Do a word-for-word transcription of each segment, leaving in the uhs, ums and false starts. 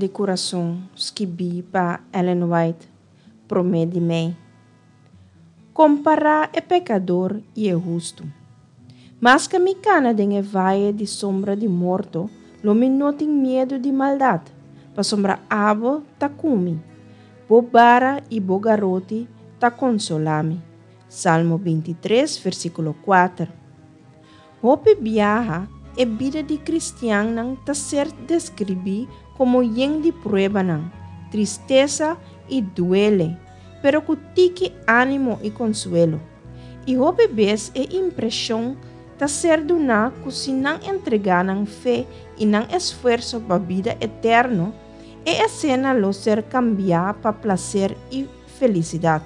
di Kurason, skibí pa Ellen White, promé di mei. Kompará e pekador i e hustu. Maske mi kana den e vaye di sombra di morto, lo mi no tin miedu di maldat, pasobra abo ta ku mi. Bo bara i bo garoti ta konsolá mi. Salmo binti tres, versíkulo kuater. Hopi biaha, e bida di kristiannan ta ser deskribí komo yen di pruebanan, tristesa i duele, pero ku tiki ánimo i konsuelo. I hopi bes e impreshon ta ser duná ku si nan entregá nan fe i nan esfuerso pa bida eterno, e esena lo ser kambiá pa plaser i felisidat.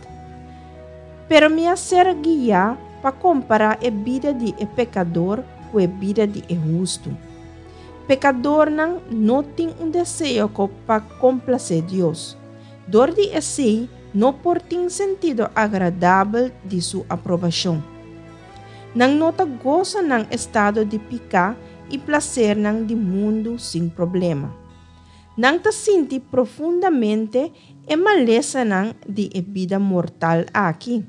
Pero mi a ser guiá pa kompará e bida di e pekador ku e bida di e hustu. Pekadornan no tin un deseo pa komplasé Dios. Dor di esei no por tin sentido agradabel di su aprobashon. Nan no ta gosa nan estado di piká i plasernan di mundu sin problema. Nan ta sinti profundamente e malesanan di e bida mortal aki.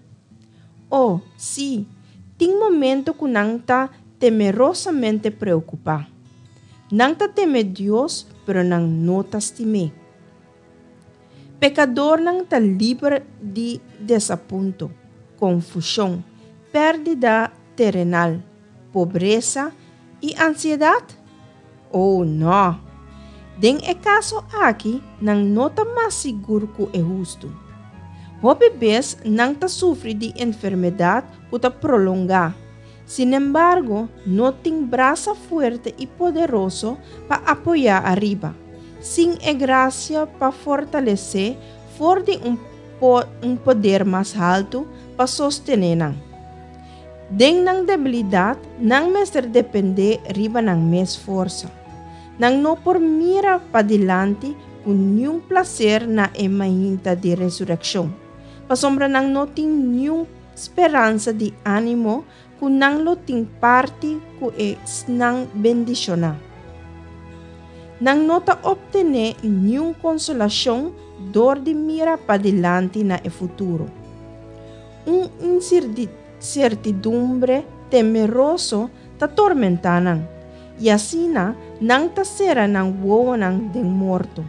Oh, sí, tin momento ku nan ta temerosamente preokupá. Nan ta teme Dios, pero nan no ta stim'é. Pekadornan ta liber di desapunto, konfushon, pèrdida terenal, pobresa i ansiedat? Oh, nò! Den e kaso aki, nan no ta mas sigur ku e hustu. Hopi bes nan ta sufri di enfermedat ku ta prolongá. Sinembargo, no tin brasa fuerte i poderoso pa apoyá ariba, sin e grasia pa fortalesé for di un un poder mas haltu pa sostené nan. Den nan debilidat, nan mester dependé riba nan mes forsa. Nan no por mira padilanti ku niun plaser na e mainta di resurekshon, pasobra nan no tin niun speransa di ánimo ku nan lo tin parti ku esnan bendishoná. Nan no ta optené niun konsolashon dor di mira padilanti na e futuro. Un insertidumbre temeroso ta tormentá nan, i asina nan ta sera nan wowonan den morto.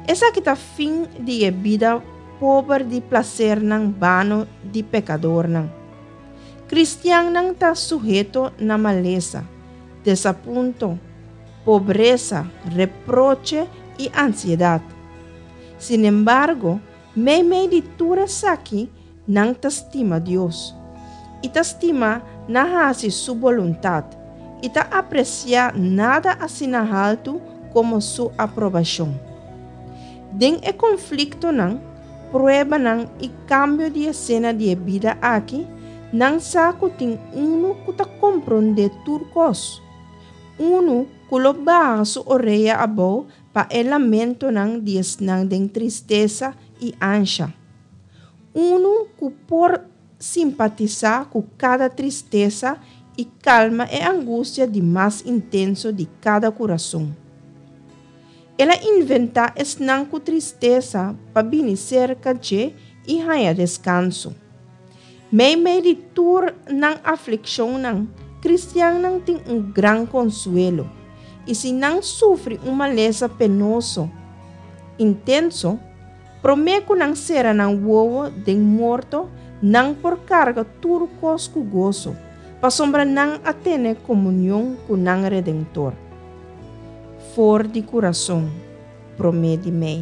Esaki ta fin di e bida pober di plasernan bano di pekadornan. Kristiannan ta suheto na malesa, desapunto, pobresa, reproche i ansiedat. Sinembargo, meimei di tur esaki, nan ta stima Dios i ta stima na hasi su boluntat i ta apresiá nada asina haltu komo su aprobashon. Den e konfliktonan, pruebanan i kambio di esena di e bida aki, nan sa ku tin unu ku ta komprondé tur kos, unu ku lo baha su orea abou pa e lamentonan di esnan den tristesa i ansha, unu ku por simpatisá ku kada tristesa i kalma e angustia di mas intenso di kada kurason. El a inventá esnan ku tristesa pa bini serka dje i haña deskanso. Meimei di tur nan aflikshonnan, kristiannan tin un gran konsuelo, i si nan sufri un malesa penoso intenso, promé ku nan sera nan wowo den morto, nan por karga tur kos ku goso, pasobra nan a tene komunion ku nan Redentor. For di Kurason, promé di mei.